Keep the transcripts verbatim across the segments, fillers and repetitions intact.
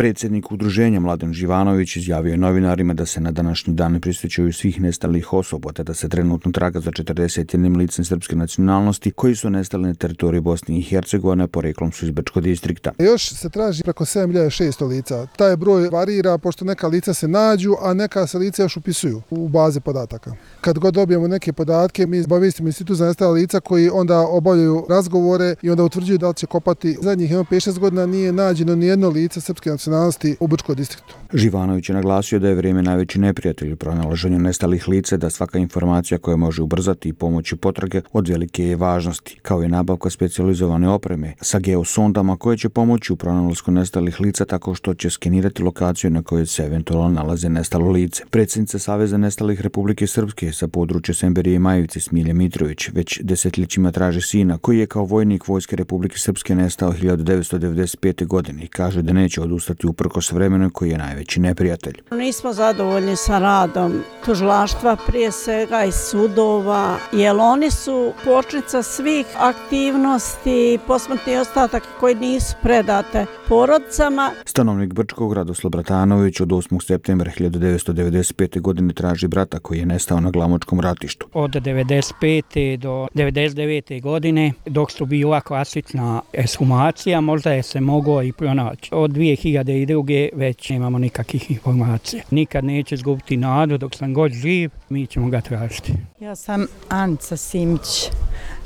Predsjednik udruženja Mladen Živanović izjavio je novinarima da se na današnji dan prisjećaju svih nestalih osoba, te da se trenutno traga za četrdeset jedan licem srpske nacionalnosti koji su nestali na teritoriji Bosne i Hercegovine, poreklom su iz Brčkog distrikta. Još se traži preko sedam hiljada šesto lica. Taj broj varira pošto neka lica se nađu, a neka se lica još upisuju u baze podataka. Kad god dobijemo neke podatke, mi obavijestimo Institut za nestala lica koji onda obavljaju razgovore i onda utvrđuju da li će kopati. Zadnjih pet šest godina nije nađeno ni jedno lice srpske nacionalnosti u Brčkom distriktu. Živanović je naglasio da je vrijeme najveći neprijatelj u pronalaženju nestalih lica, da svaka informacija koja može ubrzati i pomoći potrage od velike je važnosti, kao i nabavka specijalizovane opreme sa geosondama koje će pomoći u pronalasku nestalih lica tako što će skenirati lokaciju na kojoj se eventualno nalaze nestalo lice. Predsjednica Saveza nestalih Republike Srpske sa područja Semberije i Majevice Smilja Mitrović već desetljećima traži sina koji je kao vojnik Vojske Republike Srpske nestao hiljadu devetsto devedeset pete. godine i kaže da neće odustati uprkos vremenu koji je najveći neprijatelj. Nismo zadovoljni sa radom tužilaštva, prije svega i sudova, jer oni su kočnica svih aktivnosti, posmrtni ostatak koji nisu predate porodicama. Stanovnik Brčkog Radoslav Bratanović od osmog septembra hiljadu devetsto devedeset pete. godine traži brata koji je nestao na Glamočkom ratištu. Od devedeset pete. do devedeset devete. godine, dok su bila klasična ekshumacija, možda je se moglo i pronaći. Od dvije hiljade druge. već nemamo nikakvih informacija. Nikad neće izgubiti nadu, dok sam god živ, mi ćemo ga tražiti. Ja sam Anica Simić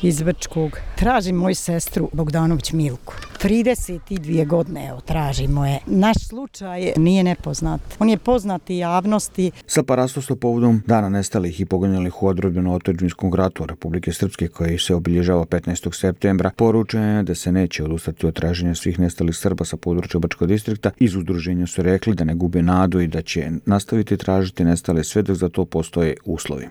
iz Brčkog. Tražim moju sestru Bogdanović Milku. trideset dvije godine evo, tražimo je. Naš slučaj nije nepoznat. On je poznat i javnosti. Sa parastostom povodom dana nestalih i poginulih u odbrambeno-otadžbinskom ratu Republike Srpske koji se obilježava petnaestog septembra, poručeno je da se neće odustati od traženja svih nestalih Srba sa područja Brčkog distrikta. Iz udruženja su rekli da ne gube nadu i da će nastaviti tražiti nestale sve dok za to postoje uslovi.